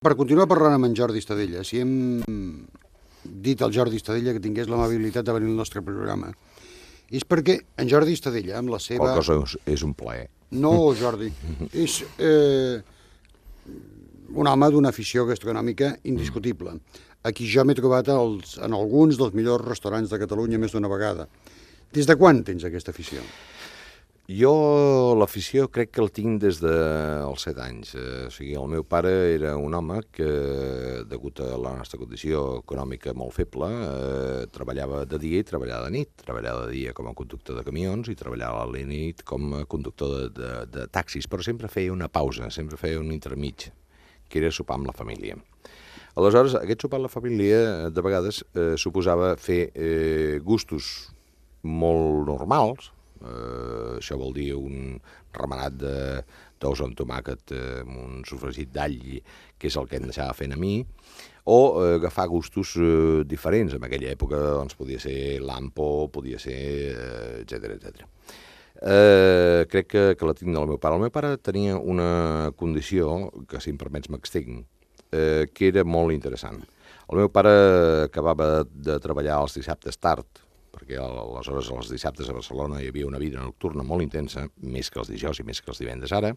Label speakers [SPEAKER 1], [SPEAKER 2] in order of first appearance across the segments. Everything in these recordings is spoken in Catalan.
[SPEAKER 1] Per continuar parlant amb en Jordi Estadella, si hem dit al Jordi Estadella que tingués l'amabilitat de venir al nostre programa, és perquè en Jordi Estadella, amb la seva...
[SPEAKER 2] Qual cosa és un plaer.
[SPEAKER 1] No, Jordi, és un home d'una afició gastronòmica indiscutible. Aquí jo m'he trobat en alguns dels millors restaurants de Catalunya més d'una vegada. Des de quan tens aquesta afició?
[SPEAKER 2] Jo l'afició crec que el tinc des dels 7 anys. O sigui, el meu pare era un home que, degut a la nostra condició econòmica molt feble, treballava de dia i treballava de nit. Treballava de dia com a conductor de camions i treballava a la nit com a conductor de taxis, però sempre feia una pausa, sempre feia un intermig, que era sopar amb la família. Aleshores, aquest sopar amb la família, de vegades, suposava fer gustos molt normals. Això vol dir un remenat d'ous amb tomàquet amb un sofregit d'all, que és el que em deixava fent a mi, o agafar gustos diferents. En aquella època doncs, podia ser lampo, podia ser etcètera, etcètera. Crec que la tinc del meu pare. El meu pare tenia una condició, que si em permets m'extinc, que era molt interessant. El meu pare acabava de treballar els dissabtes tard, perquè aleshores els dissabtes a Barcelona hi havia una vida nocturna molt intensa, més que els dijous i més que els divendres ara,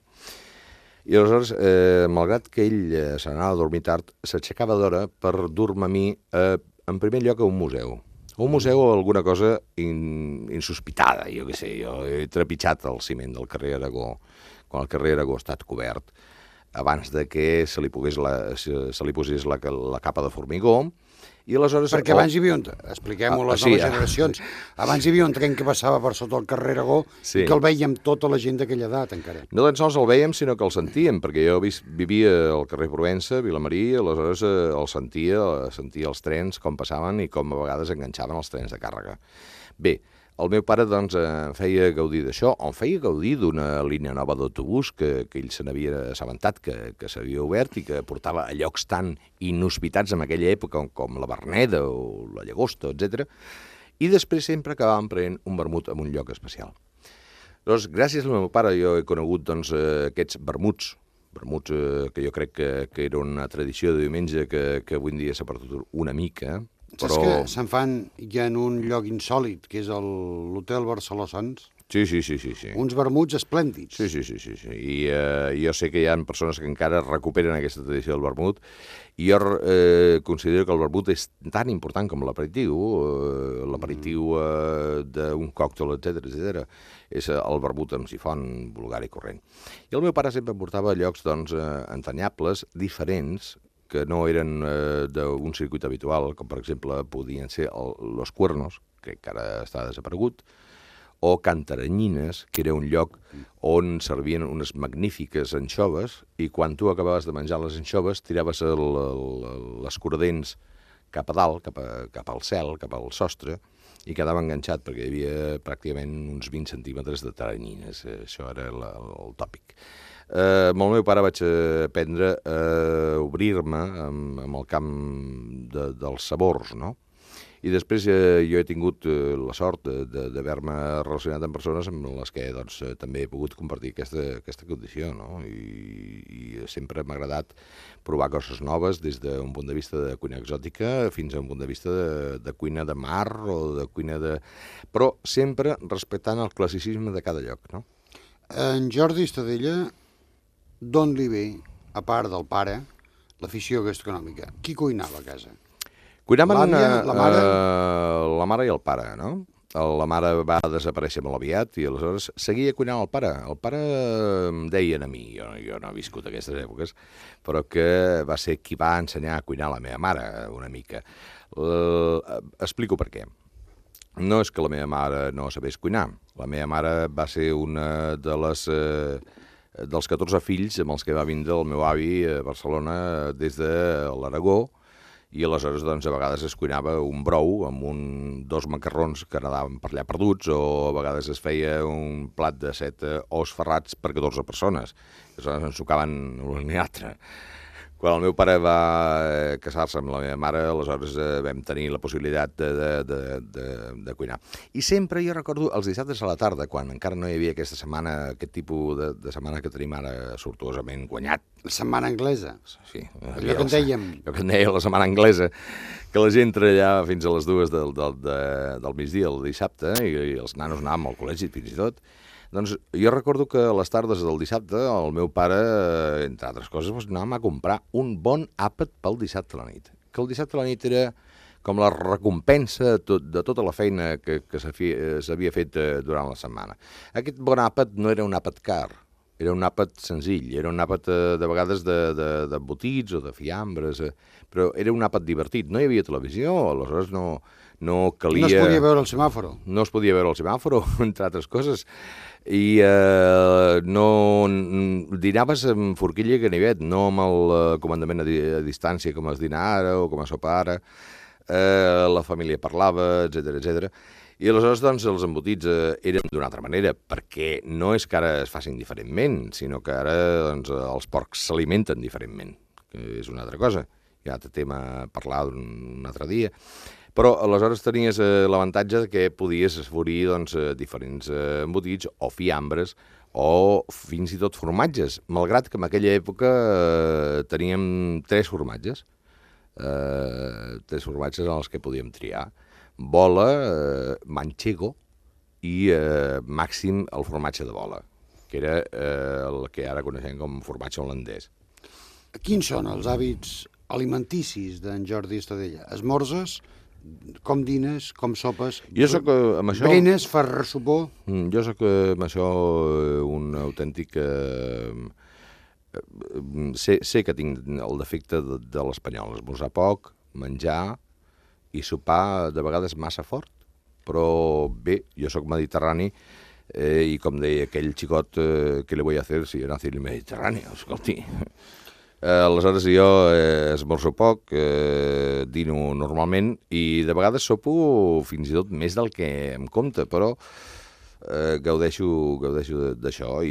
[SPEAKER 2] i aleshores, malgrat que ell se n'anava a dormir tard, s'aixecava d'hora per dur-me a mi, en primer lloc, a un museu. Un museu o alguna cosa insospitada, jo què sé, jo he trepitjat el ciment del carrer Aragó, quan el carrer Aragó ha estat cobert, abans de que se li posés la capa de formigó, i aleshores...
[SPEAKER 1] Perquè abans hi havia expliquem-ho a les noves generacions, abans hi havia un tren que passava per sota el carrer Aragó i que el veiem tota la gent d'aquella edat encara.
[SPEAKER 2] No tan sols el veiem, sinó que el sentíem, perquè jo vivia al carrer Provença, Vilamarí, i aleshores el sentia els trens com passaven i com a vegades enganxaven els trens de càrrega. Bé, el meu pare doncs em feia gaudir d'això, em feia gaudir d'una línia nova d'autobús que ell se n'havia assabentat, que s'havia obert i que portava a llocs tan inhospitats en aquella època com la Verneda o la Llagosta, etc. I després sempre acabàvem prenent un vermut en un lloc especial. Doncs gràcies al meu pare jo he conegut doncs, aquests vermuts que jo crec que era una tradició de diumenge que avui en dia s'ha perdut una mica.
[SPEAKER 1] Saps que se'n fan ja en un lloc insòlit, que és l'Hotel Barceló Sants?
[SPEAKER 2] Sí.
[SPEAKER 1] Uns vermuts esplèndids.
[SPEAKER 2] Sí. I jo sé que hi ha persones que encara recuperen aquesta tradició del vermut, i jo considero que el vermut és tan important com l'aperitiu d'un còctel, etc. És el vermut amb sifon vulgar i corrent. I el meu pare sempre em portava a llocs doncs, entanyables, diferents, que no eren d'un circuit habitual, com per exemple podien ser Los Cuernos, que encara està desaparegut, o Cantaranyines, que era un lloc on servien unes magnífiques anxoves, i quan tu acabaves de menjar les anxoves tiraves les cordents cap a dalt, cap al cel, cap al sostre, i quedava enganxat, perquè hi havia pràcticament uns 20 centímetres de taranyines. Això era el tòpic. Amb el meu pare vaig aprendre a obrir-me amb el camp dels sabors, no? I després jo he tingut la sort d'haver-me relacionat amb persones amb les que doncs, també he pogut compartir aquesta condició, no? I sempre m'ha agradat provar coses noves des d'un punt de vista de cuina exòtica fins a un punt de vista de cuina de mar o de cuina de... però sempre respectant el classicisme de cada lloc, no?
[SPEAKER 1] En Jordi Estadella, d'on li ve, a part del pare, l'afició gastronòmica? Qui cuinava a casa?
[SPEAKER 2] Cuinaven
[SPEAKER 1] la mare?
[SPEAKER 2] La mare i el pare, no? La mare va desaparèixer molt aviat i aleshores seguia cuinant el pare. El pare em deien a mi, jo no he viscut aquestes èpoques, però que va ser qui va ensenyar a cuinar la meva mare una mica. Explico per què. No és que la meva mare no sabés cuinar. La meva mare va ser una dels 14 fills amb els que va vindre el meu avi a Barcelona des de l'Aragó, i aleshores doncs, a vegades es cuinava un brou amb dos macarrons que anaven per allà perduts, o a vegades es feia un plat de 7 ous ferrats per 14 persones. Aleshores ens tocaven l'un i l'altre. Quan el meu pare va casar-se amb la meva mare, aleshores vam tenir la possibilitat de cuinar. I sempre jo recordo els dissabtes a la tarda, quan encara no hi havia aquesta setmana, aquest tipus de setmana que tenim ara sortuosament guanyat.
[SPEAKER 1] La setmana anglesa.
[SPEAKER 2] Sí.
[SPEAKER 1] Allò que en dèiem.
[SPEAKER 2] Allò que en deia la setmana anglesa, que la gent treballava fins a les 2 del migdia, el dissabte, i els nanos anàvem al col·legi fins i tot. Doncs jo recordo que a les tardes del dissabte el meu pare, entre altres coses, anàvem a comprar un bon àpat pel dissabte a la nit. Que el dissabte a la nit era com la recompensa de tota la feina que s'havia fet durant la setmana. Aquest bon àpat no era un àpat car, era un àpat senzill, era un àpat de vegades d'embotits o de fiambres, però era un àpat divertit. No hi havia televisió, aleshores no calia...
[SPEAKER 1] No es podia veure el semàforo.
[SPEAKER 2] No es podia veure el semàforo, entre altres coses. I no dinaves amb forquilla i ganivet, no amb el comandament a distància com es dina ara o com es sopa ara. La família parlava, etc. I aleshores doncs, els embotits eren d'una altra manera, perquè no és que ara es facin diferentment, sinó que ara doncs, els porcs s'alimenten diferentment, que és una altra cosa. Hi ha un altre tema a parlar un altre dia. Però aleshores tenies l'avantatge que podies esforir doncs, diferents embotits o fiambres o fins i tot formatges, malgrat que en aquella època teníem 3 formatges. 3 formatges en els que podíem triar. Bola, manchego i màxim el formatge de bola, que era el que ara coneixem com formatge holandès.
[SPEAKER 1] Quins són els hàbits alimenticis d'en Jordi Estadella? Esmorzes, com dines, com sopes,
[SPEAKER 2] jo soc, amb això,
[SPEAKER 1] berenes, fas ressopor?
[SPEAKER 2] Jo soc amb això un autèntic... sé que tinc el defecte de l'espanyol, esmorzar poc, menjar i sopar de vegades massa fort, però bé, jo sóc mediterrani i com deia aquell xicot, què li vull fer si jo nací en el Mediterrani? Escolti... Aleshores jo esmorzo poc, dino normalment i de vegades sopo fins i tot més del que em compta, però gaudeixo d'això.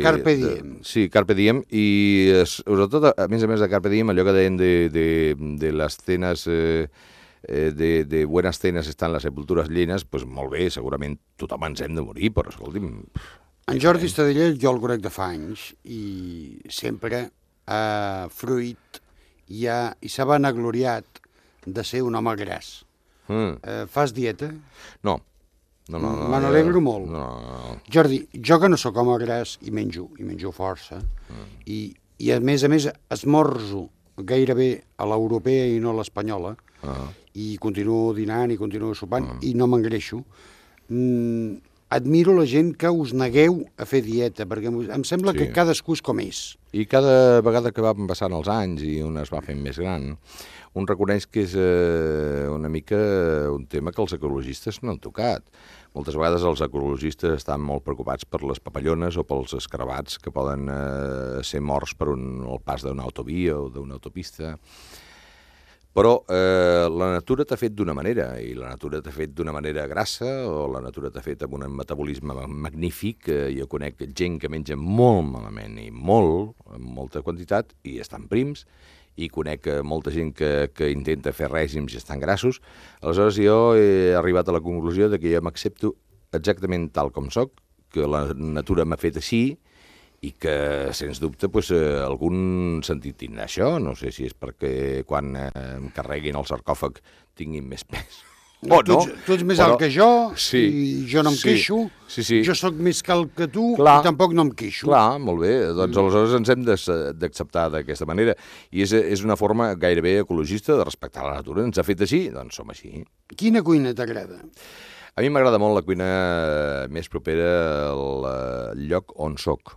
[SPEAKER 1] Carpe diem.
[SPEAKER 2] Sí, carpe diem, i sobretot, a més de carpe diem, allò que deien de les cenes, de buenas cenas estan les sepultures llenes, doncs molt bé, segurament tothom ens hem de morir, però escolti'm...
[SPEAKER 1] En Jordi Estadella jo el conec de fa anys i sempre ha fruit i s'ha vanagloriat de ser un home gras. Fas dieta?
[SPEAKER 2] No.
[SPEAKER 1] Me n'alegro molt.
[SPEAKER 2] No.
[SPEAKER 1] Jordi, jo que no sóc home gras i menjo força, i a més esmorzo gairebé a l'europea i no a l'espanyola, i continuo dinant i continuo sopant i no m'engreixo. Admiro la gent que us negueu a fer dieta, perquè em sembla que cadascú és com és.
[SPEAKER 2] I cada vegada que van passant els anys i un es va fent més gran, un reconeix que és una mica un tema que els ecologistes no han tocat. Moltes vegades els ecologistes estan molt preocupats per les papallones o pels escarabats que poden ser morts per el pas d'una autovia o d'una autopista. Però la natura t'ha fet d'una manera, i la natura t'ha fet d'una manera grassa, o la natura t'ha fet amb un metabolisme magnífic. Jo conec gent que menja molt malament i amb molta quantitat, i estan prims, i conec molta gent que intenta fer règims i estan grassos. Aleshores jo he arribat a la conclusió de que jo m'accepto exactament tal com soc, que la natura m'ha fet així, i que, sens dubte, algun sentit tindrà això. No sé si és perquè quan em carreguin el sarcòfag tinguin més pes.
[SPEAKER 1] Tu ets més alt que jo, i jo no em queixo.
[SPEAKER 2] Sí.
[SPEAKER 1] Jo sóc més cal que tu, i tampoc no em queixo.
[SPEAKER 2] Clar, molt bé. Doncs aleshores ens hem d'acceptar d'aquesta manera. I és una forma gairebé ecologista de respectar la natura. Ens ha fet així, doncs som així.
[SPEAKER 1] Quina cuina t'agrada?
[SPEAKER 2] A mi m'agrada molt la cuina més propera al lloc on soc.